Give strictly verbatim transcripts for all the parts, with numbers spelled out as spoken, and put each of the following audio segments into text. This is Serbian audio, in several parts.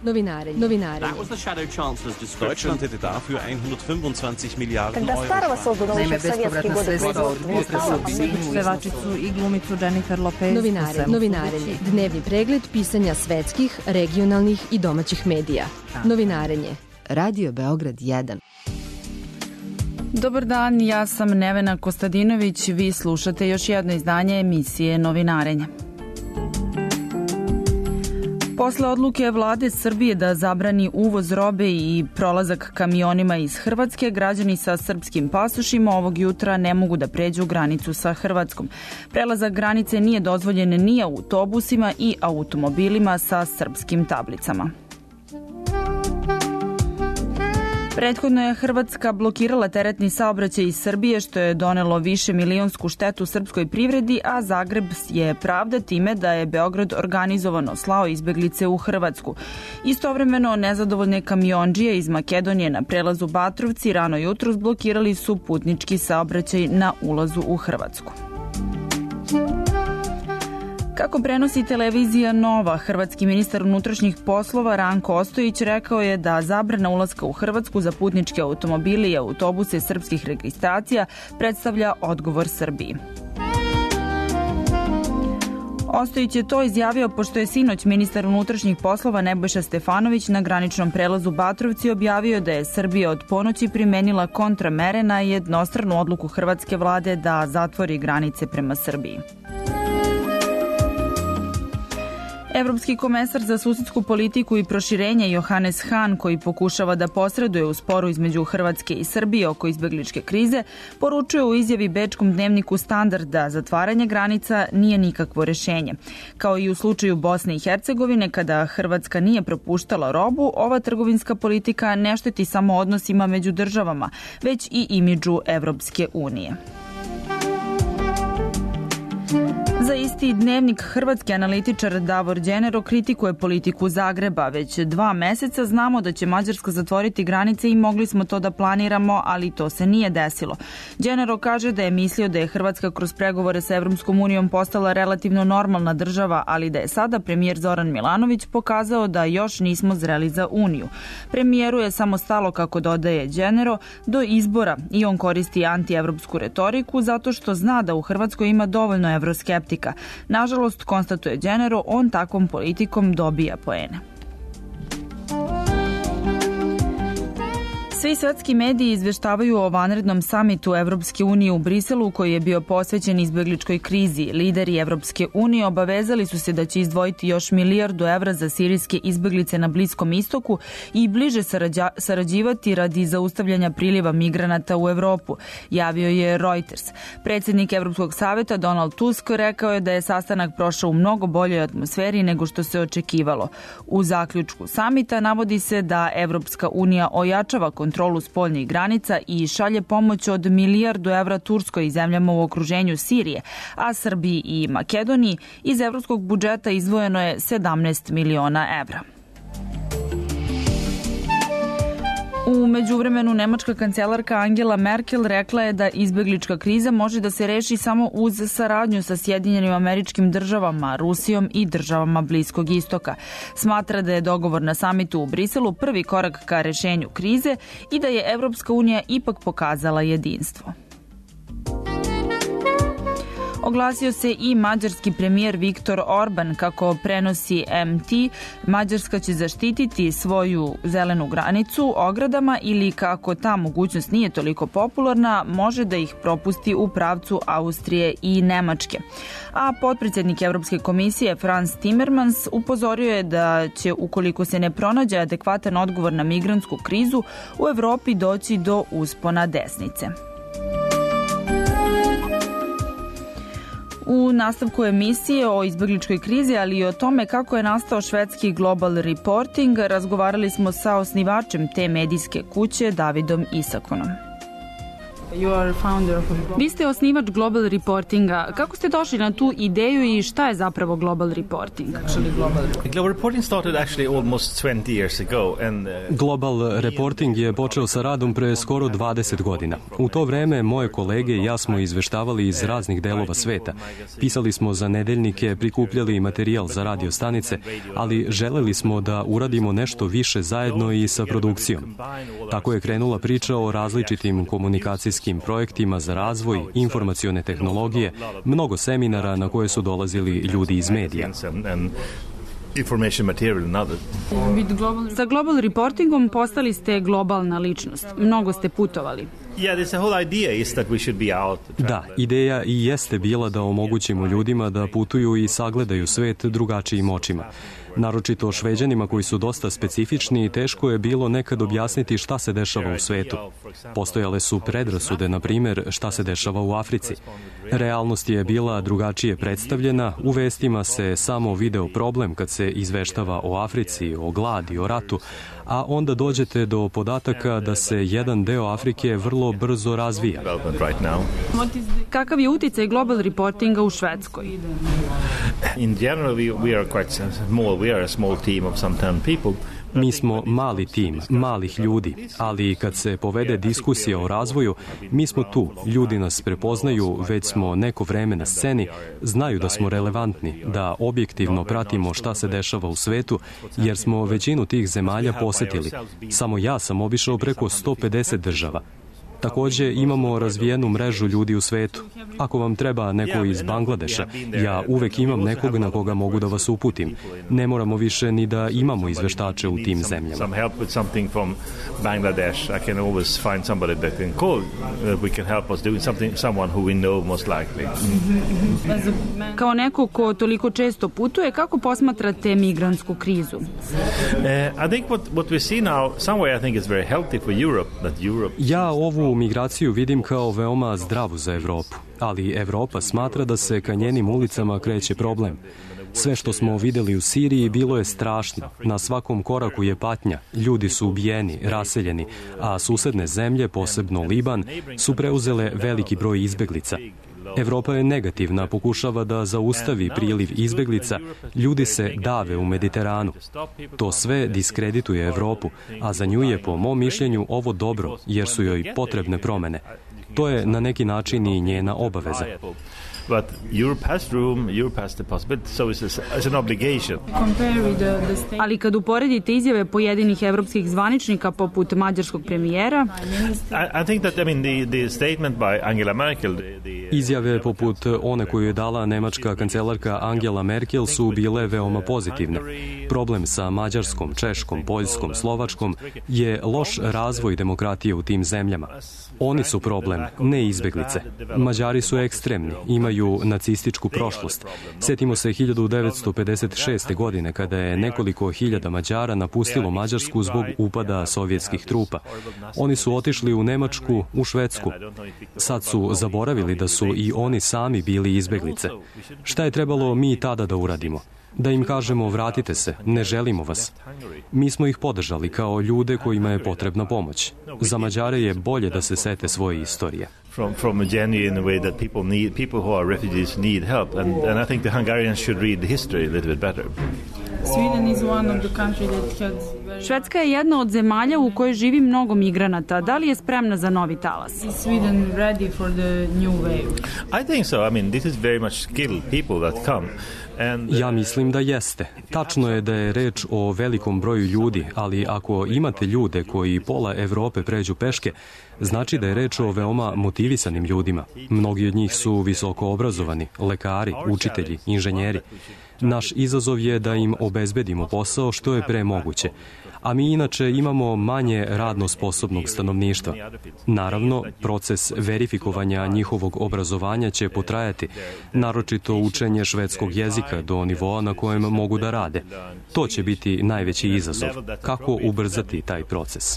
Novinarenje. Novinarenje. Deutschland hätte dafür hundertfünfundzwanzig Milliarden Euro. Naime, bespovratna sredstva od pevačicu i glumicu Jennifer Lopez. Novinarenje. Novinarenje. Dnevni pregled pisanja svetskih, regionalnih i domaćih medija. Novinarenje. Radio Beograd jedan. Dobar dan, ja sam Nevena Kostadinović. Vi slušate još jedno izdanje emisije Novinarenje. Posle odluke vlade Srbije da zabrani uvoz robe i prolazak kamionima iz Hrvatske, građani sa srpskim pasošima ovog jutra ne mogu da pređu granicu sa Hrvatskom. Prelazak granice nije dozvoljen ni autobusima i automobilima sa srpskim tablicama. Prethodno je Hrvatska blokirala teretni saobraćaj iz Srbije, što je donelo više milionsku štetu srpskoj privredi, a Zagreb je pravda time da je Beograd organizovano slao izbeglice u Hrvatsku. Istovremeno, nezadovoljne kamiondžije iz Makedonije na prelazu Batrovci rano jutros blokirali su putnički saobraćaj na ulazu u Hrvatsku. Kako prenosi televizija Nova, hrvatski ministar unutrašnjih poslova Ranko Ostojić rekao je da zabrana ulaska u Hrvatsku za putničke automobile i autobuse srpskih registracija predstavlja odgovor Srbiji. Ostojić je to izjavio pošto je sinoć ministar unutrašnjih poslova Nebojša Stefanović na graničnom prelazu Batrovci objavio da je Srbija od ponoći primenila kontramere na jednostranu odluku hrvatske vlade da zatvori granice prema Srbiji. Evropski komesar za susedsku politiku i proširenje Johannes Hahn, koji pokušava da posreduje u sporu između Hrvatske i Srbije oko izbegličke krize, poručuje u izjavi bečkom dnevniku Standard da zatvaranje granica nije nikakvo rešenje. Kao i u slučaju Bosne i Hercegovine, kada Hrvatska nije propuštala robu, ova trgovinska politika ne šteti samo odnosima među državama, već i imidžu Evropske unije. Za isti dnevnik hrvatski analitičar Davor Đenero kritikuje politiku Zagreba. Već dva meseca znamo da će Mađarska zatvoriti granice i mogli smo to da planiramo, ali to se nije desilo. Đenero kaže da je mislio da je Hrvatska kroz pregovore sa Evropskom unijom postala relativno normalna država, ali da je sada premijer Zoran Milanović pokazao da još nismo zreli za Uniju. Premijeru je samo stalo, kako dodaje Đenero, do izbora i on koristi antievropsku retoriku zato što zna da u Hrvatskoj ima dovoljno evroskeptika. Nažalost, konstatuje Đenero, on takvom politikom dobija poene. Svi svetski mediji izveštavaju o vanrednom samitu Evropske unije u Briselu koji je bio posvećen izbegličkoj krizi. Lideri Evropske unije obavezali su se da će izdvojiti još milijardu evra za sirijske izbeglice na Bliskom istoku i bliže sarađa, sarađivati radi zaustavljanja priliva migranata u Evropu, javio je Reuters. Predsjednik Evropskog saveta Donald Tusk rekao je da je sastanak prošao u mnogo boljoj atmosferi nego što se očekivalo. U zaključku samita navodi se da Evropska unija ojačava kontrolu spoljnih granica i šalje pomoć od milijardu evra Turskoj i zemljama u okruženju Sirije, a Srbiji i Makedoniji iz evropskog budžeta izdvojeno je sedamnaest miliona evra. U međuvremenu, nemačka kancelarka Angela Merkel rekla je da izbeglička kriza može da se reši samo uz saradnju sa Sjedinjenim Američkim Državama, Rusijom i državama Bliskog istoka. Smatra da je dogovor na samitu u Briselu prvi korak ka rešenju krize i da je Evropska unija ipak pokazala jedinstvo. Oglasio se i mađarski premijer Viktor Orban. Kako prenosi M T, Mađarska će zaštititi svoju zelenu granicu ogradama ili, kako ta mogućnost nije toliko popularna, može da ih propusti u pravcu Austrije i Nemačke. A potpredsjednik Evropske komisije Frans Timmermans upozorio je da će, ukoliko se ne pronađe adekvatan odgovor na migrantsku krizu, u Evropi doći do uspona desnice. U nastavku emisije o izbegličkoj krizi, ali i o tome kako je nastao švedski Global Reporting, razgovarali smo sa osnivačem te medijske kuće, Davidom Isakonom. Vi ste osnivač Global Reportinga. Kako ste došli na tu ideju i šta je zapravo Global Reporting? Global Reporting started actually almost twenty years ago and uh... Global Reporting je počeo sa radom pre skoro dvadeset godina. U to vreme moje kolege i ja smo izveštavali iz raznih delova sveta. Pisali smo za nedeljnike, prikupljali materijal za radio stanice, ali želeli smo da uradimo nešto više zajedno i sa produkcijom. Tako je krenula priča o različitim komunikacijskim projektima za razvoj, informacione tehnologije, mnogo seminara na koje su dolazili ljudi iz medija. Sa Global Reportingom postali ste globalna ličnost. Mnogo ste putovali. Da, ideja i jeste bila da omogućimo ljudima da putuju i sagledaju svet drugačijim očima. Naročito Šveđanima koji su dosta specifični i teško je bilo nekad objasniti šta se dešava u svetu. Postojale su predrasude, na primjer, šta se dešava u Africi. Realnost je bila drugačije predstavljena, u vestima se samo video problem kad se izveštava o Africi, o gladi, o ratu, a onda dođete do podataka da se jedan deo Afrike vrlo brzo razvija. Kakav je uticaj Global Reportinga u Švedskoj? In general we, we are quite small. We are a small team of some ten people. Mi smo mali tim, malih ljudi, ali kad se povede diskusija o razvoju, mi smo tu, ljudi nas prepoznaju, već smo neko vreme na sceni, znaju da smo relevantni, da objektivno pratimo šta se dešava u svetu, jer smo većinu tih zemalja posetili. Samo ja sam obišao preko sto pedeset država. Takođe imamo razvijenu mrežu ljudi u svetu. Ako vam treba neko iz Bangladeša, ja uvek imam nekog na koga mogu da vas uputim. Ne moramo više ni da imamo izveštače u tim zemljama. Kao neko ko toliko često putuje, kako posmatrate migrantsku krizu? Ja ovu migraciju vidim kao veoma zdravu za Evropu, ali Evropa smatra da se ka njenim ulicama kreće problem. Sve što smo videli u Siriji bilo je strašno. Na svakom koraku je patnja. Ljudi su ubijeni, raseljeni, a susedne zemlje, posebno Liban, su preuzele veliki broj izbeglica. Evropa je negativna, pokušava da zaustavi priliv izbeglica, ljudi se dave u Mediteranu. To sve diskredituje Evropu, a za nju je po mom mišljenju ovo dobro, jer su joj potrebne promene. To je na neki način i njena obaveza. But Europe has room, Europe has the possibility, so it's, it's an obligation. Ali kad uporedite izjave pojedinih evropskih zvaničnika poput mađarskog premijera, I, I think that I mean the the statement by Angela Merkel, the, the izjave poput one koju je dala nemačka kancelarka Angela Merkel su bile veoma pozitivne. Problem sa Mađarskom, Češkom, Poljskom, Slovačkom je loš razvoj demokratije u tim zemljama. Oni su problem, ne izbeglice. Mađari su ekstremni, imaju nacističku prošlost. Sjetimo se hiljadu devetsto pedeset šeste. godine kada je nekoliko hiljada Mađara napustilo Mađarsku zbog upada sovjetskih trupa. Oni su otišli u Nemačku, u Švedsku. Sad su zaboravili da su i oni sami bili izbeglice. Šta je trebalo mi tada da uradimo? Da im kažemo vratite se, ne želimo vas. Mi smo ih podržali kao ljude kojima je potrebna pomoć. Za Mađare je bolje da se sete svoje istorije. From from a genuine way that people need people who are refugees need help, and and I think the Hungarians should read the history a little bit better. Sweden is one of the country that has... Švedska je jedna od zemalja u kojoj živi mnogo migranata. Da li je spremna za novi talas? Is Sweden ready for the new wave? I think so. I mean, this is very much skilled people that come. Ja mislim da jeste. Tačno je da je reč o velikom broju ljudi, ali ako imate ljude koji pola Evrope pređu peške, znači da je reč o veoma motivisanim ljudima. Mnogi od njih su visoko obrazovani, lekari, učitelji, inženjeri. Naš izazov je da im obezbedimo posao što je pre moguće. A mi inače imamo manje radno sposobnog stanovništva. Naravno, proces verifikovanja njihovog obrazovanja će potrajati, naročito učenje švedskog jezika do nivoa na kojem mogu da rade. To će biti najveći izazov. Kako ubrzati taj proces?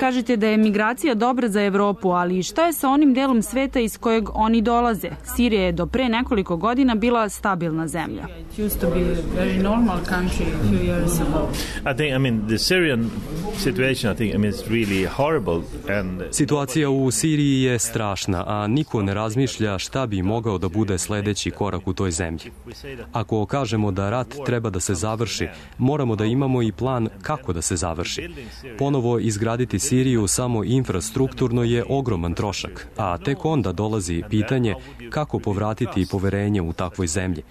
Kažete da je migracija dobra za Evropu, ali šta je sa onim delom sveta iz kojeg oni dolaze? Sirija je do pre nekoliko godina bila stabilna stabilna zemlja. It used to be a very normal country a few years ago. I think, I mean, the Syrian situation, I think, I mean, it's really horrible. And Situacija u Siriji je strašna, a niko ne razmišlja šta bi mogao da bude sledeći korak u toj zemlji. Ako kažemo da rat treba da se završi, moramo da imamo i plan kako da se završi. Ponovo izgraditi Siriju samo infrastrukturno je ogroman trošak, a tek onda dolazi pitanje kako povratiti poverenje u takvoj zemlji.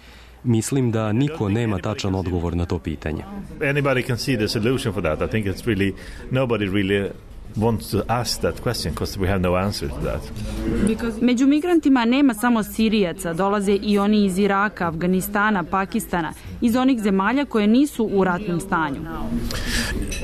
Mislim da niko nema tačan odgovor na to pitanje. Anybody can see the solution for that. I think it's really, nobody really wants to ask that question because we have no answer to that. Među migrantima nema samo Sirijaca, dolaze i oni iz Iraka, Afganistana, Pakistana, iz onih zemalja koje nisu u ratnom stanju.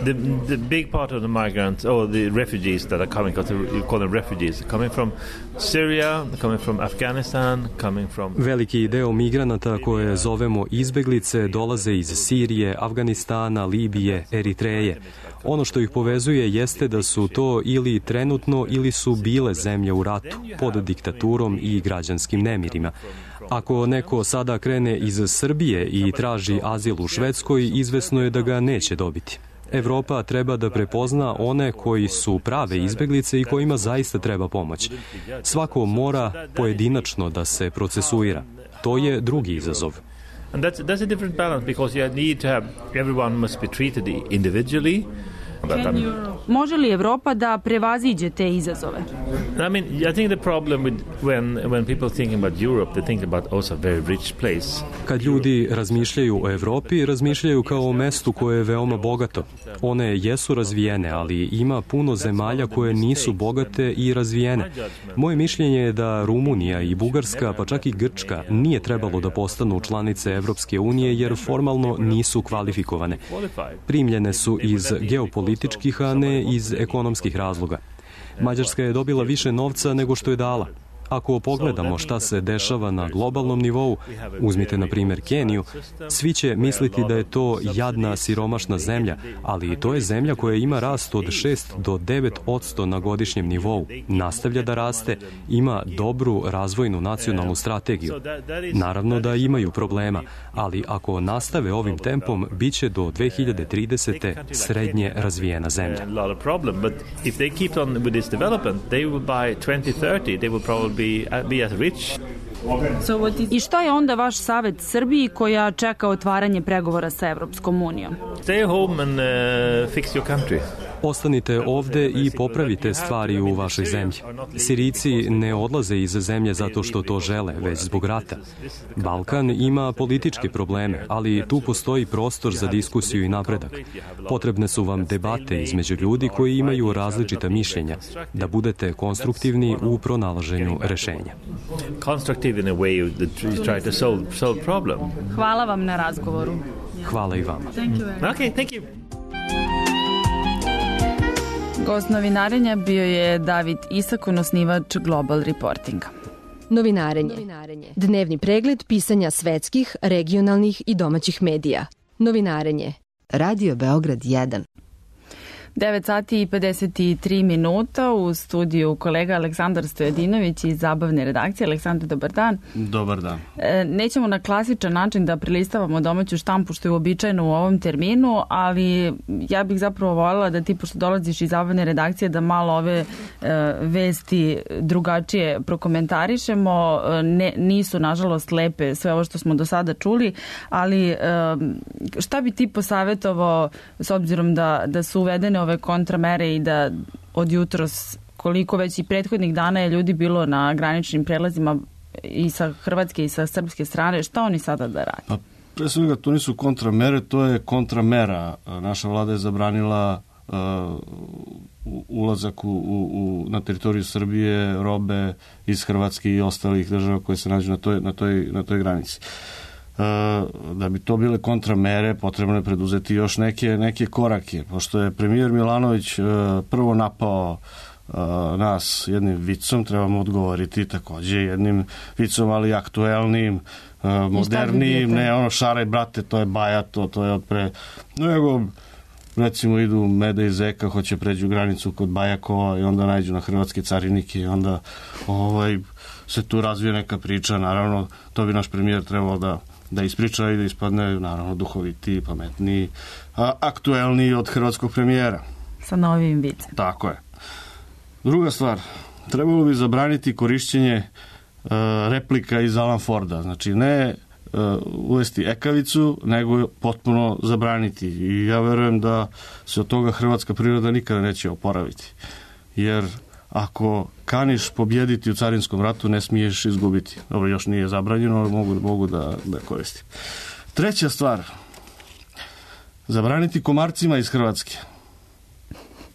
The, the big part of the migrants, or the refugees that are coming, because you call them refugees, coming from Syria, coming from Afghanistan, coming from... Veliki deo migranata koje zovemo izbeglice dolaze iz Sirije, Afganistana, Libije, Eritreje. Ono što ih povezuje jeste da su to ili trenutno ili su bile zemlje u ratu, pod diktaturom i građanskim nemirima. Ako neko sada krene iz Srbije i traži azil u Švedskoj, izvesno je da ga neće dobiti. Evropa treba da prepozna one koji su prave izbeglice i kojima zaista treba pomoć. Svako mora pojedinačno da se procesuira. To je drugi izazov. And that's, that's a different balance because you need to have, everyone must be treated individually. Može li Evropa da prevaziđe te izazove? I mean, I think the problem with when when people thinking about Europe, they think about also a very rich place. Kad ljudi razmišljaju o Evropi, razmišljaju kao o mestu koje je veoma bogato. One jesu razvijene, ali ima puno zemalja koje nisu bogate i razvijene. Moje mišljenje je da Rumunija i Bugarska, pa čak i Grčka, nije trebalo da postanu članice Evropske unije jer formalno nisu kvalifikovane. Primljene su iz geopolitičkih političkih, a ne iz ekonomskih razloga. Mađarska je dobila više novca nego što je dala. Ako pogledamo šta se dešava na globalnom nivou, uzmite na primjer Keniju, svi će misliti da je to jadna, siromašna zemlja, ali to je zemlja koja ima rast od šest do devet posto na godišnjem nivou, nastavlja da raste, ima dobru razvojnu nacionalnu strategiju. Naravno da imaju problema, ali ako nastave ovim tempom, bit će do dve hiljade tridesete. srednje razvijena zemlja. I šta je onda vaš savet Srbiji koja čeka otvaranje pregovora sa Evropskom unijom? Stay home and uh, fix your country. Ostanite ovde i popravite stvari u vašoj zemlji. Sirijci ne odlaze iz zemlje zato što to žele, već zbog rata. Balkan ima političke probleme, ali tu postoji prostor za diskusiju i napredak. Potrebne su vam debate između ljudi koji imaju različita mišljenja, da budete konstruktivni u pronalaženju rešenja. Hvala vam na razgovoru. Hvala i vama. Okay, thank you. Gost novinarenja bio je David Isakon, osnivač Global Reportinga. Novinarenje. Dnevni pregled pisanja svetskih, regionalnih i domaćih medija. Novinarenje. Radio Beograd jedan. devet sati i pedeset tri minuta, u studiju kolega Aleksandar Stojadinović iz Zabavne redakcije. Aleksandar, dobar dan. Dobar dan. E, nećemo na klasičan način da prelistavamo domaću štampu, što je uobičajeno u ovom terminu, ali ja bih zapravo voljela da ti, pošto dolaziš iz Zabavne redakcije, da malo ove e, vesti drugačije prokomentarišemo. Ne, nisu, nažalost, lepe sve ovo što smo do sada čuli, ali e, šta bi ti posavetovao, s obzirom da, da su uvedene ove kontramere i da od jutros, koliko već i prethodnih dana je ljudi bilo na graničnim prelazima i sa hrvatske i sa srpske strane, šta oni sada da rade? Pa, pre svega, to nisu kontramere, to je kontramera. Naša vlada je zabranila uh, ulazak u, u, na teritoriju Srbije robe iz Hrvatske i ostalih država koje se nađu na toj, na toj, na toj granici. Da bi to bile kontramere, potrebno je preduzeti još neke, neke korake. Pošto je premijer Milanović prvo napao nas jednim vicom, trebamo odgovoriti takođe jednim vicom, ali aktuelnim, modernijim, ne ono šaraj brate, to je baja, to, to je od pre... Nego, recimo idu Meda i Zeka, hoće pređu granicu kod Bajakova i onda nađu na hrvatske carinike i onda ovaj, se tu razvije neka priča. Naravno, to bi naš premijer trebao da, da ispriča i da ispadne, naravno, duhovitiji, pametniji, a aktuelniji od hrvatskog premijera. Sa novim vicem. Tako je. Druga stvar, trebalo bi zabraniti korišćenje uh, replika iz Alan Forda. Znači, ne uh, uvesti ekavicu, nego potpuno zabraniti. I ja verujem da se od toga hrvatska priroda nikada neće oporaviti. Jer ako kaniš pobjediti u carinskom ratu, ne smiješ izgubiti. Dobro, još nije zabranjeno, ali mogu, mogu da, da koristim. Treća stvar, zabraniti komarcima iz Hrvatske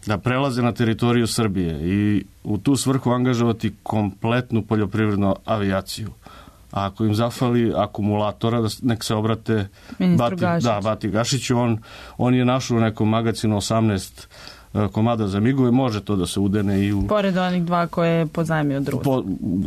da prelaze na teritoriju Srbije i u tu svrhu angažovati kompletnu poljoprivrednu avijaciju. A ako im zafali akumulatora, da nek se obrate Bati, da, Bati Gašiću. On, on je našao u nekom magazinu osamnaest komada za migove, može to da se udene i u... Pored onih dva koje je pozajmio od Rusa. Po,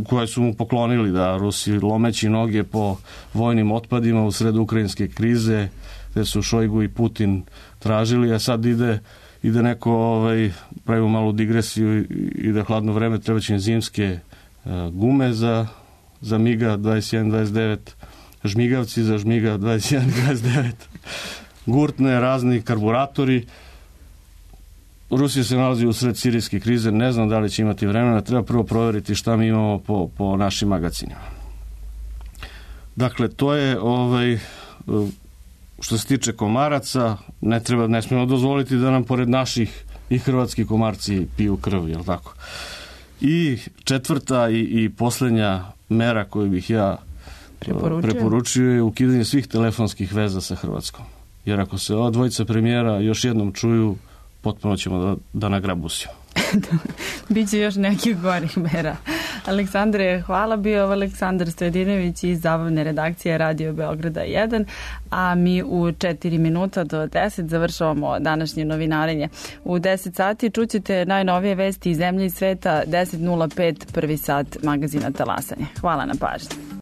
koje su mu poklonili, da, Rusi lomeći noge po vojnim otpadima u sred ukrajinske krize, gde su Šojgu i Putin tražili, a sad ide ide neko, ovaj, pravimo malu digresiju, ide hladno vreme, treba će zimske uh, gume za, za Miga dvadeset jedan dvadeset devet, žmigavci za Žmiga dvadeset jedan dvadeset devet, gurtne, razni karburatori. Rusija se nalazi u sred sirijske krize, ne znam da li će imati vremena, treba prvo provjeriti šta mi imamo po, po našim magazinima. Dakle, to je ovaj... Uh, što se tiče komaraca, ne treba, ne smijemo dozvoliti da nam pored naših i hrvatski komarci piju krv, jel tako? I četvrta i, i posljednja mera koju bih ja preporučio je ukidanje svih telefonskih veza sa Hrvatskom. Jer ako se ova dvojica premijera još jednom čuju, potpuno ćemo da, da nagrabusimo. Biće još nekih gorih mera. Aleksandre, hvala, bio Aleksandar Stojadinović iz zabavne redakcije Radio Beograda jedan, a mi u četiri minuta do deset završavamo današnje novinarenje. U deset sati čućete najnovije vesti iz zemlje i sveta, deset nula pet, prvi sat magazina Talasanje. Hvala na pažnji.